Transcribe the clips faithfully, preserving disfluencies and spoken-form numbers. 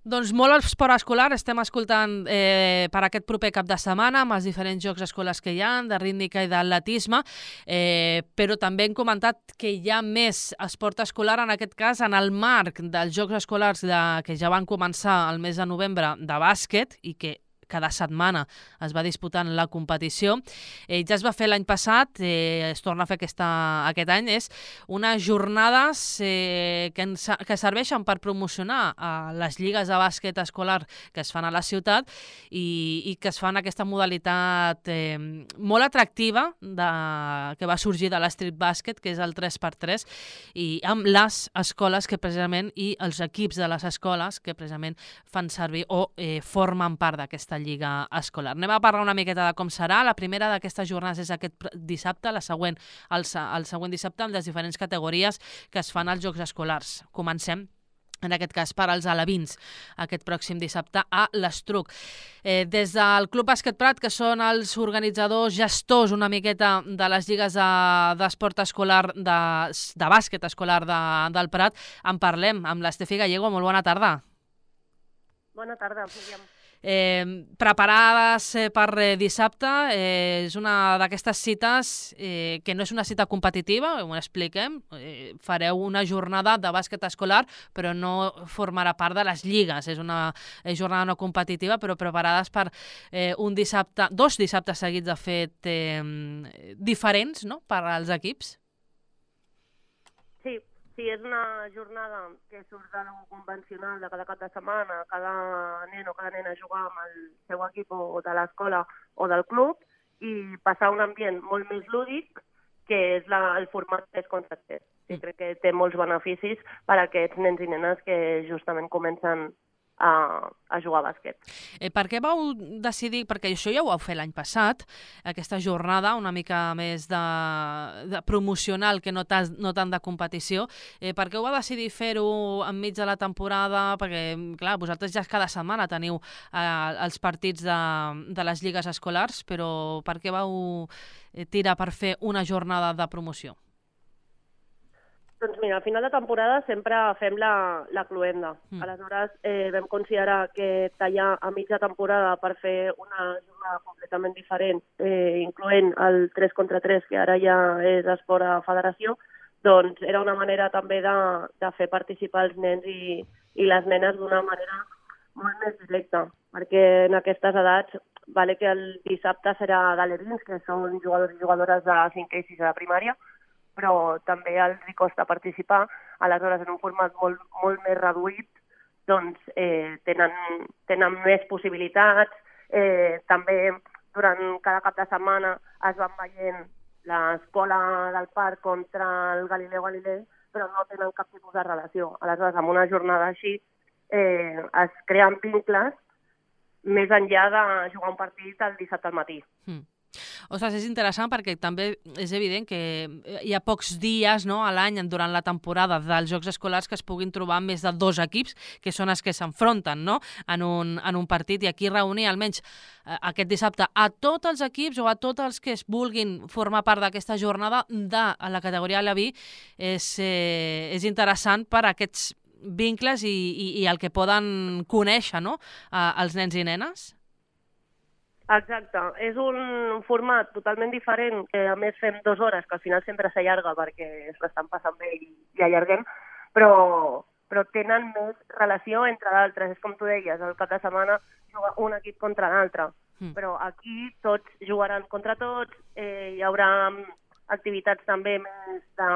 Doncs molt esport escolar, estem escoltant eh, per aquest proper cap de setmana amb els diferents jocs escolars que hi ha, de rítmica i d'atletisme, eh, però també hem comentat que hi ha més esport escolar, en aquest cas en el marc dels jocs escolars de, que ja van començar el mes de novembre de bàsquet i que cada setmana es va disputant la competició. Eh, ja es va fer l'any passat, eh, es torna a fer aquesta, aquest any, és unes jornades eh, que, ens, que serveixen per promocionar a les lligues de bàsquet escolar que es fan a la ciutat i, i que es fan aquesta modalitat eh, molt atractiva de, que va sorgir de l'street bàsquet, que és el tres per tres, i amb les escoles que precisament i els equips de les escoles que precisament fan servir o eh, formen part d'aquesta lliga escolar. Anem a parlar una miqueta de com serà. La primera d'aquestes jornades és aquest dissabte, la següent, el, el següent dissabte amb les diferents categories que es fan als Jocs Escolars. Comencem en aquest cas per als alevins, aquest pròxim dissabte a l'Estruc. Eh, des del Club Bàsquet Prat, que són els organitzadors, gestors una miqueta de les lligues d'esport de, escolar, de, de bàsquet escolar de, del Prat, en parlem amb l'Estefi Gallego. Molt bona tarda. Bona tarda, Míriam. Eh, preparades eh, per eh, dissabte, eh, és una d'aquestes cites eh, que no és una cita competitiva, ho expliquem, eh, fareu una jornada de bàsquet escolar, però no formarà part de les lligues, és una és jornada no competitiva, però preparades per eh, un dissabte, dos dissabtes seguits de fet eh, diferents, no?, per als equips. Sí, sí, és una jornada que surt de lo convencional de cada cap de setmana, cada nen o cada nena jugar amb el seu equip o de l'escola o del club i passar un ambient molt més lúdic, que és la, el format tres contra tres. Sí, crec que té molts beneficis per a aquests nens i nenes que justament comencen a, a jugar a bàsquet. Eh, per què vau decidir, perquè això ja ho vau fer l'any passat, aquesta jornada una mica més de, de promocional que no, tas, no tant de competició, eh, per què ho va decidir fer-ho enmig de la temporada? Perquè, clar, vosaltres ja cada setmana teniu eh, els partits de, de les lligues escolars, però per què vau tirar per fer una jornada de promoció? Doncs mira, al final de temporada sempre fem la, la cluenda. Mm. Aleshores eh, vam considerar que tallar a mitja temporada per fer una jornada completament diferent, eh, incloent el tres contra tres, que ara ja és esport a federació, doncs era una manera també de, de fer participar els nens i, i les nenes d'una manera molt més directa, perquè en aquestes edats, vale que el dissabte serà d'alevins, que són jugadors i jugadores de cinquè i sisè de primària, però també els hi costa participar, aleshores en un format molt, molt més reduït, doncs eh, tenen, tenen més possibilitats, eh, també durant cada cap de setmana es van veient l'escola del parc contra el Galileu Galilei, però no tenen cap tipus de relació. Aleshores, amb una jornada així eh, es creen vincles més enllà de jugar un partit el dissabte al matí. Mm. Ostres, és interessant perquè també és evident que hi ha pocs dies, no, a l'any durant la temporada dels Jocs Escolars que es puguin trobar més de dos equips, que són els que s'enfronten, no?, en un, en un partit, i aquí reunir almenys eh, aquest dissabte a tots els equips o a tots els que es vulguin formar part d'aquesta jornada de la categoria aleví és, eh, és interessant per a aquests vincles i, i, i el que poden conèixer, no?, eh, els nens i nenes. Exacte, és un format totalment diferent, que a més fem dues hores, que al final sempre s'allarga perquè es l'estan passant bé i, i allarguem, però, però tenen més relació entre d'altres. És com tu deies, el cap de setmana juga un equip contra l'altre, mm. però aquí tots jugaran contra tots, eh, hi haurà activitats també més de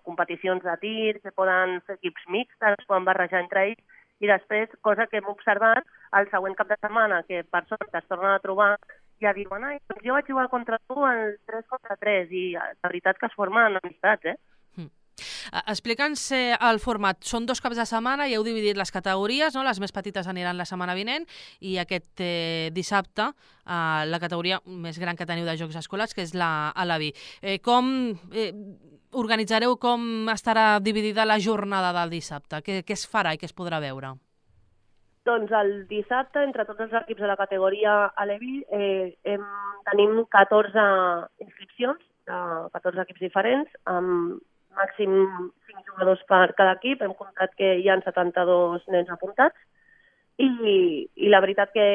competicions de tir, que poden fer equips mixtes, poden barrejar entre ells, i després, cosa que hem observat, el següent cap de setmana, que persones es tornen a trobar, ja diuen, ai, doncs jo vaig jugar contra tu el tres contra tres, i la veritat que es formen amistats, eh? Mm. Explica'ns eh, el format. Són dos caps de setmana i heu dividit les categories, no? Les més petites aniran la setmana vinent i aquest eh, dissabte eh, la categoria més gran que teniu de Jocs Escolars, que és la aleví. Eh, com eh, organitzareu, com estarà dividida la jornada del dissabte? Què, què es farà i què es podrà veure? Doncs el dissabte, entre tots els equips de la categoria aleví, eh, hem, tenim catorze inscripcions de catorze equips diferents, amb màxim cinc jugadors per cada equip. Hem comptat que hi ha setanta-dos nens apuntats i, i la veritat que,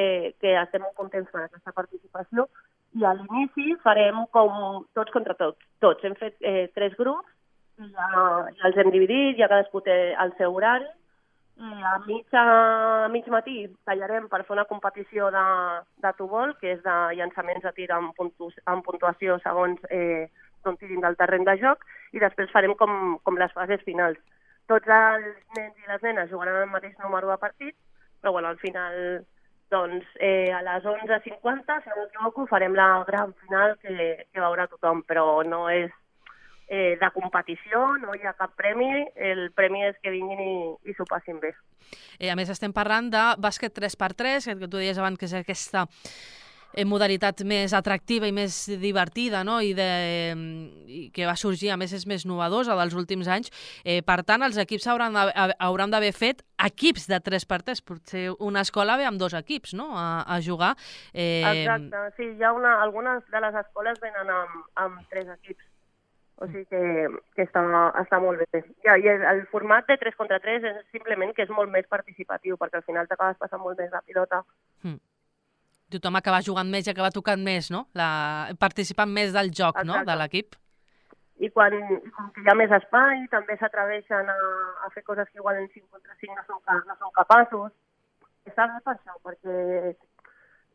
que estem molt contents per aquesta participació. I a l'inici farem com tots contra tots. Tots. Hem fet eh, tres grups, i ja, ja els hem dividit, ja cadascú té el seu horari. I a mig, a mig matí tallarem per fer una competició de, de tubol, que és de llançaments de tir amb, puntu, amb puntuació segons eh, d'on tirin del terreny de joc, i després farem com, com les fases finals. Tots els nens i les nenes jugaran el mateix número de partits, però bueno, al final, doncs, eh, a les onze cinquanta, si no m'equivoco, farem la gran final que, que veurà tothom, però no és Eh, de competició, no hi ha cap premi, el premi és que vinguin i, i s'ho passin bé. Eh, a més, estem parlant de bàsquet tres per tres, que tu deies abans que és aquesta eh, modalitat més atractiva i més divertida, no? I, de, i que va sorgir, a més, és més novedosa dels últims anys. Eh, per tant, els equips hauran d'haver fet equips de tres per tres. Potser una escola ve amb dos equips, no?, a, a jugar. Eh... Exacte, sí, hi ha una, algunes de les escoles venen amb, amb tres equips. O sigui que, que està, està molt bé. Ja, i el format de tres contra tres és simplement que és molt més participatiu, perquè al final t'acabes passant molt més la pilota. Mm. Tothom acaba jugant més i acaba tocant més, no? La... participant més del joc, no?, de l'equip. I quan, com que hi ha més espai, també s'atreveixen a, a fer coses que igual en cinc contra cinc no són, no són capaços. Està bé per això, perquè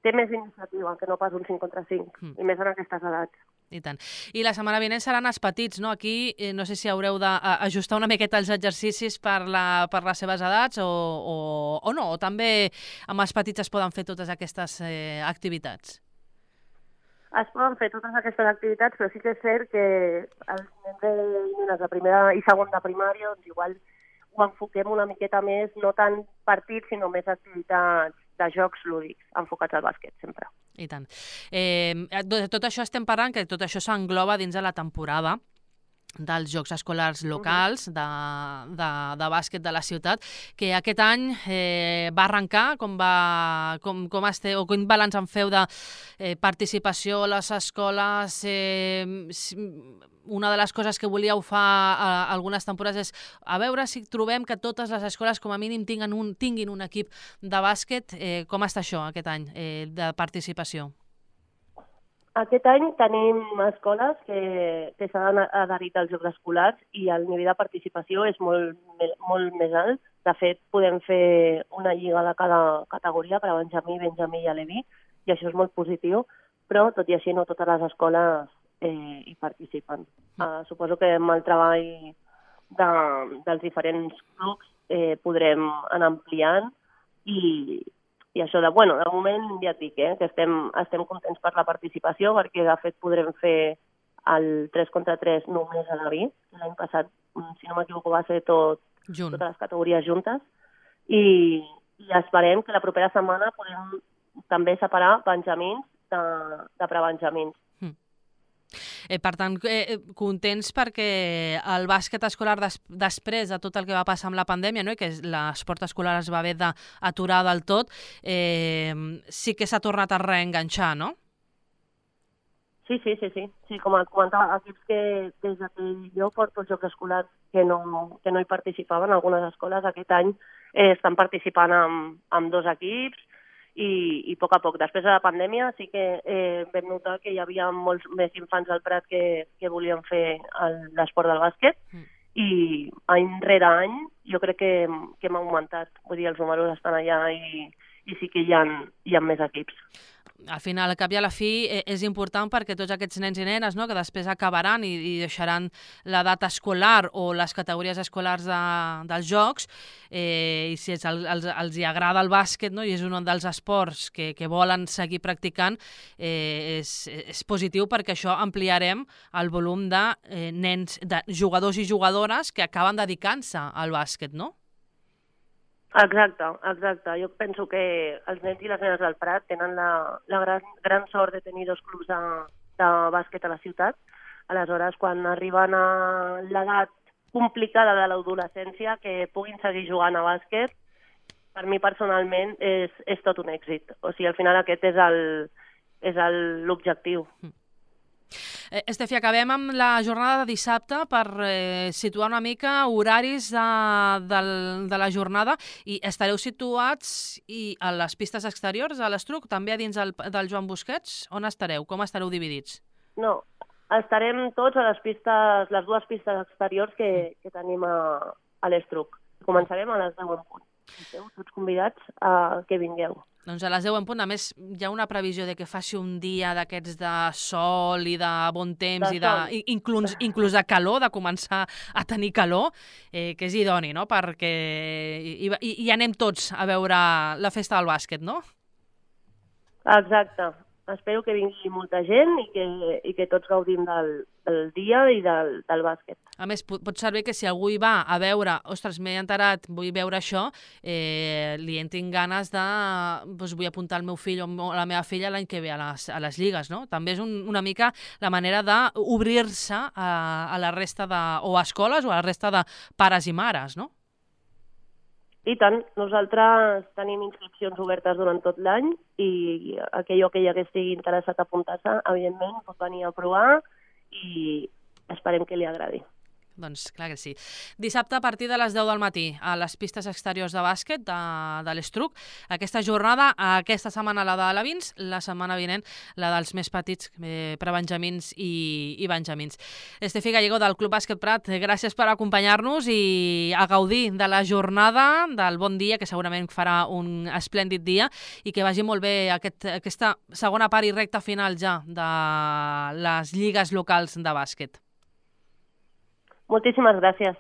té més iniciativa que no pas un cinc contra cinc, mm. i més en aquestes edats. I tant. I la setmana vinent seran els petits, no? Aquí eh, no sé si haureu d'ajustar una miqueta els exercicis per, la, per les seves edats o, o, o no, o també amb els petits es poden fer totes aquestes eh, activitats. Es poden fer totes aquestes activitats, però sí que és cert que els nens i nenes de primera i segon de primària, doncs igual ho enfoquem una miqueta més, no tant partits, sinó més activitats de jocs lúdics, enfocats al bàsquet, sempre. I tant. Eh, de tot això estem parlant, que tot això s'engloba dins de la temporada dels Jocs Escolars Locals de, de, de bàsquet de la ciutat, que aquest any eh, va arrencar, com, va, com, com este, o quin balanç en feu de eh, participació a les escoles. Eh, una de les coses que volíeu fa a, a algunes temporades és a veure si trobem que totes les escoles com a mínim tinguin un, tinguin un equip de bàsquet. Eh, com està això aquest any eh, de participació? Aquest any tenim escoles que, que s'han adherit als Jocs Escolars i el nivell de participació és molt, molt més alt. De fet, podem fer una lliga de cada categoria per a Benjamí, Benjamí i Aleví, i això és molt positiu, però tot i així no totes les escoles eh, hi participen. Uh, suposo que amb el treball de, dels diferents clubs eh, podrem anar ampliant i I això de, bueno, de moment ja et dic, eh, que estem, estem contents per la participació, perquè de fet podrem fer el tres contra tres només a l'Avi. L'any passat, si no m'equivoco, va ser tot, totes les categories juntes. I, I esperem que la propera setmana podem també separar benjamins de, de prebenjamins. Mm. Eh, per tant, eh, contents perquè el bàsquet escolar des, després de tot el que va passar amb la pandèmia, no? I que l'esport escolar es va haver d'aturar del tot, eh, sí que s'ha tornat a reenganxar, no? Sí, sí, sí, sí. sí com comentava, equips que des que jo porto els Jocs Escolars que no, que no hi participaven, algunes escoles aquest any eh, estan participant amb, amb dos equips, I, i a poc a poc. Després de la pandèmia sí que eh, vam notar que hi havia molts més infants al Prat que, que volien fer l'esport del bàsquet mm. i any rere any jo crec que, que hem augmentat. Vull dir, els números estan allà i, i sí que hi ha, hi ha més equips. Al final, al cap i a la fi, és important perquè tots aquests nens i nenes, no?, que després acabaran i, i deixaran l'edat escolar o les categories escolars de, dels jocs, eh, i si els, els, els hi agrada el bàsquet, no?, i és un dels esports que, que volen seguir practicant, eh, és, és positiu perquè això ampliarem el volum de eh, nens, de jugadors i jugadores que acaben dedicant-se al bàsquet, no? Exacte, exacte. Jo penso que els nens i les nenes del Prat tenen la, la gran, gran sort de tenir dos clubs de, de bàsquet a la ciutat. Aleshores, quan arriben a l'edat complicada de l'adolescència, que puguin seguir jugant a bàsquet, per mi personalment és, és tot un èxit. O sigui, al final aquest és el, és l'objectiu. Mm. Eh, Estefi, acabem amb la jornada de dissabte per eh, situar una mica horaris de, de, de la jornada, i estareu situats i a les pistes exteriors, a l'Estruc, també a dins del, del Joan Busquets? On estareu? Com estareu dividits? No, estarem tots a les pistes, les dues pistes exteriors que, que tenim a, a l'Estruc. Començarem a les deu en punt. Esteu tots convidats a que vingueu. Doncs a les deu en punt. A més, hi ha una previsió de que faci un dia d'aquests de sol i de bon temps, De i de, sol. i- inclús, inclús de calor, de començar a tenir calor, eh, que és idoni, no? Perquè i, i, i anem tots a veure la festa del bàsquet, no? Exacte. Espero que vingui molta gent i que, i que tots gaudim del, del dia i del, del bàsquet. A més, pot, pot ser bé que si algú hi va a veure, ostres, m'he enterat, vull veure això, eh, li entrin ganes de, doncs vull apuntar el meu fill o la meva filla l'any que ve a les, a les lligues, no? També és un, una mica la manera d'obrir-se a, a la resta de, o a escoles o a la resta de pares i mares, no? I tant, nosaltres tenim inscripcions obertes durant tot l'any i aquell o aquella que estigui interessat a apuntar-se, evidentment, pot venir a provar i esperem que li agradi. Doncs clar que sí. Dissabte a partir de les deu del matí a les pistes exteriors de bàsquet de, de l'Estruc. Aquesta jornada, aquesta setmana la de l'Avins, la setmana vinent la dels més petits, eh, prebenjamins i, i benjamins. Estefi Gallego del Club Bàsquet Prat, gràcies per acompanyar-nos i a gaudir de la jornada, del bon dia, que segurament farà un esplèndid dia, i que vagi molt bé aquest, aquesta segona part i recta final ja de les lligues locals de bàsquet. Moltíssimes gràcies.